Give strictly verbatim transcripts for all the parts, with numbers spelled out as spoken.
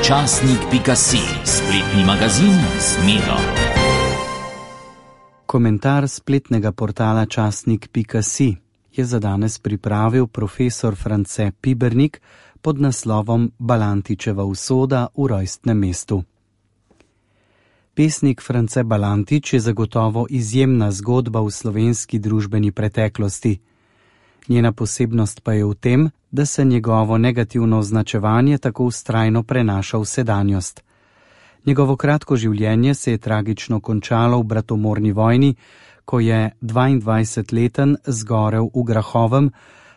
časnik pika si, spletni magazin z Miro. Komentar spletnega portala časnik pika si je za danes pripravil profesor France Pibernik pod naslovom Balantičeva usoda v rojstnem mestu. Pesnik France Balantič je zagotovo izjemna zgodba v slovenski družbeni preteklosti. Njena posebnost pa je v tem, da se njegovo negativno označevanje tako vztrajno prenaša v sedanjost. Njegovo kratko življenje se je tragično končalo v bratomorni vojni, ko je dvaindvajsetleten zgorel v Grahovem,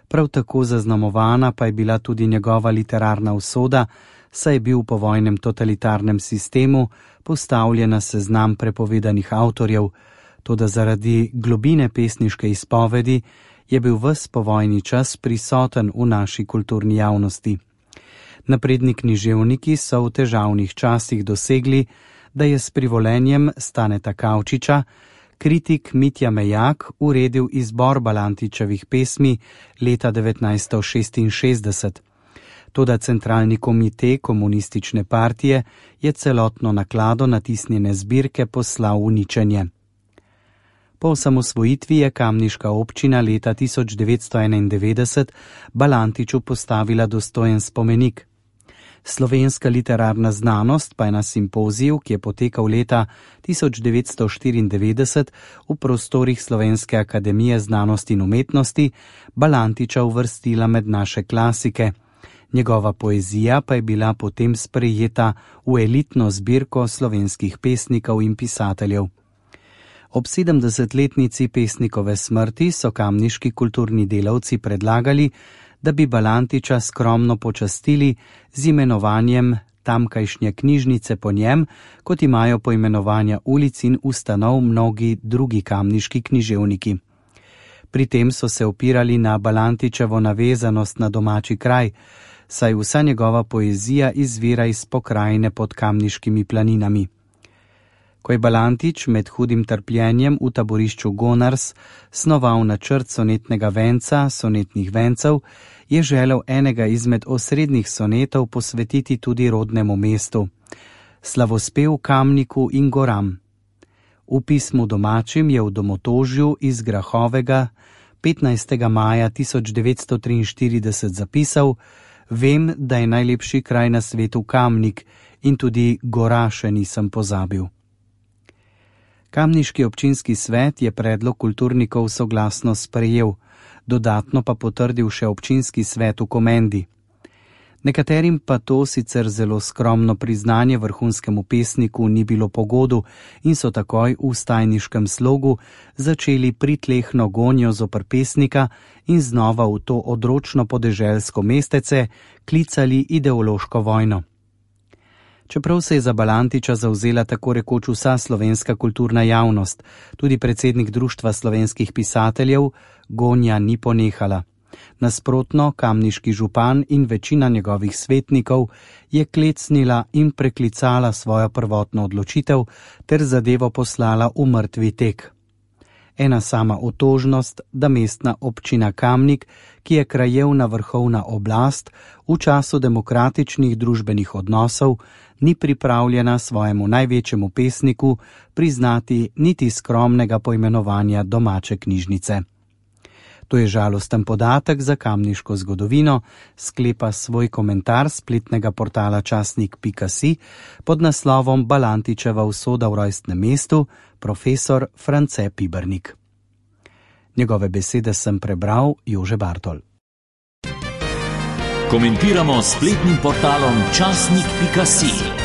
prav tako zaznamovana pa je bila tudi njegova literarna usoda, saj je bil v povojnem totalitarnem sistemu postavljen na seznam prepovedanih avtorjev, toda zaradi globine pesniške izpovedi je bil ves povojni čas prisoten v naši kulturni javnosti. Napredni književniki so v težavnih časih dosegli, da je s privolenjem Staneta Kavčiča kritik Mitja Mejak uredil izbor Balantičevih pesmi leta devetnajststo šestinšestdeset. Toda centralni komite komunistične partije je celotno naklado natisnjene zbirke poslal v uničenje. Po osamosvojitvi je kamniška občina leta tisoč devetsto enaindevetdeset Balantiču postavila dostojen spomenik. Slovenska literarna znanost pa je na simpoziju, ki je potekal leta tisoč devetsto štiriindevetdeset v prostorih Slovenske akademije znanosti in umetnosti, Balantiča uvrstila med naše klasike. Njegova poezija pa je bila potem sprejeta v elitno zbirko slovenskih pesnikov in pisateljev. Ob sedemdesetletnici pesnikove smrti so kamniški kulturni delavci predlagali, da bi Balantiča skromno počastili z imenovanjem tamkajšnje knjižnice po njem, kot imajo poimenovanja ulic in ustanov mnogi drugi kamniški književniki. Pri tem so se opirali na Balantičevo navezanost na domači kraj, saj vsa njegova poezija izvira iz pokrajine pod kamniškimi planinami. Ko je Balantič med hudim trpljenjem v taborišču Gonars snoval načrt sonetnega venca, sonetnih vencev, je želel enega izmed osrednjih sonetov posvetiti tudi rodnemu mestu, slavospev Kamniku in goram. V pismu domačim je v Domotožju iz Grahovega petnajstega maja tisoč devetsto triinštirideset zapisal: Vem, da je najlepši kraj na svetu Kamnik in tudi gora še nisem pozabil. Kamniški občinski svet je predlog kulturnikov soglasno sprejel, dodatno pa potrdil še občinski svet v Komendi. Nekaterim pa to sicer zelo skromno priznanje vrhunskemu pesniku ni bilo pogodu in so takoj v stajniškem slogu začeli pritlehno gonjo zoper pesnika in znova v to odročno podeželsko mestece klicali ideološko vojno. Čeprav se je za Balantiča zavzela tako rekoč vsa slovenska kulturna javnost, tudi predsednik Društva slovenskih pisateljev, gonja ni ponehala. Nasprotno, kamniški župan in večina njegovih svetnikov je klecnila in preklicala svojo prvotno odločitev ter zadevo poslala v mrtvi tek. Ena sama otožnost, da mestna občina Kamnik, ki je krajevna vrhovna oblast, v času demokratičnih družbenih odnosov ni pripravljena svojemu največjemu pesniku priznati niti skromnega poimenovanja domače knjižnice. To je žalosten podatek za kamniško zgodovino, sklepa svoj komentar spletnega portala časnik pika si pod naslovom Balantičeva usoda v rojstnem mestu, profesor France Pibernik. Njegove besede sem prebral Jože Bartol. Komentiramo spletnim portalom časnik pika si.